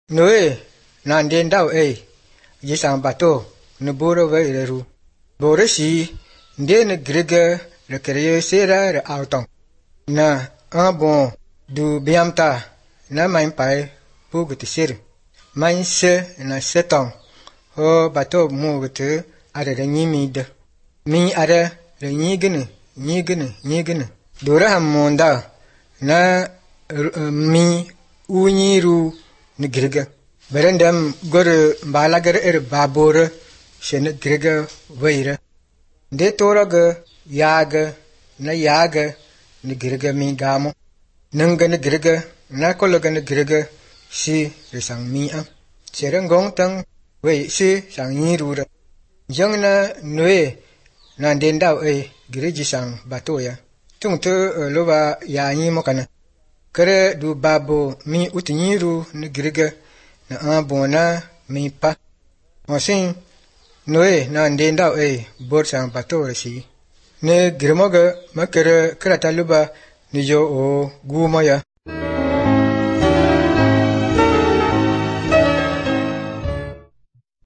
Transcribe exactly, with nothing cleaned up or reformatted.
Noe nan den daw e jisang bato ne boro ve ru boro shi nde ne grege le kreye sera re auton na un bon du biamta na main pai pu gute sir main se na seton ho bato mu gute are re nyimi de mi are re nyigene nyigene nyigene dora hamonda na mi unyiru ni grege berendam gore balagar er babore shene grege weire de toraga yaga na yaga ni grege mi gamo nanga ni grege na kolaga ni grege si resang mi a serengong tang we si sang nyirura jang na noe na den daw e gireji sang batoya tung te loba ya nyi mokana kare du babo mi utinyiru ni grege na abona mi pa osin noe na den daw e bor sang batore si ne girmoga makere krata luba ni jo o gumaya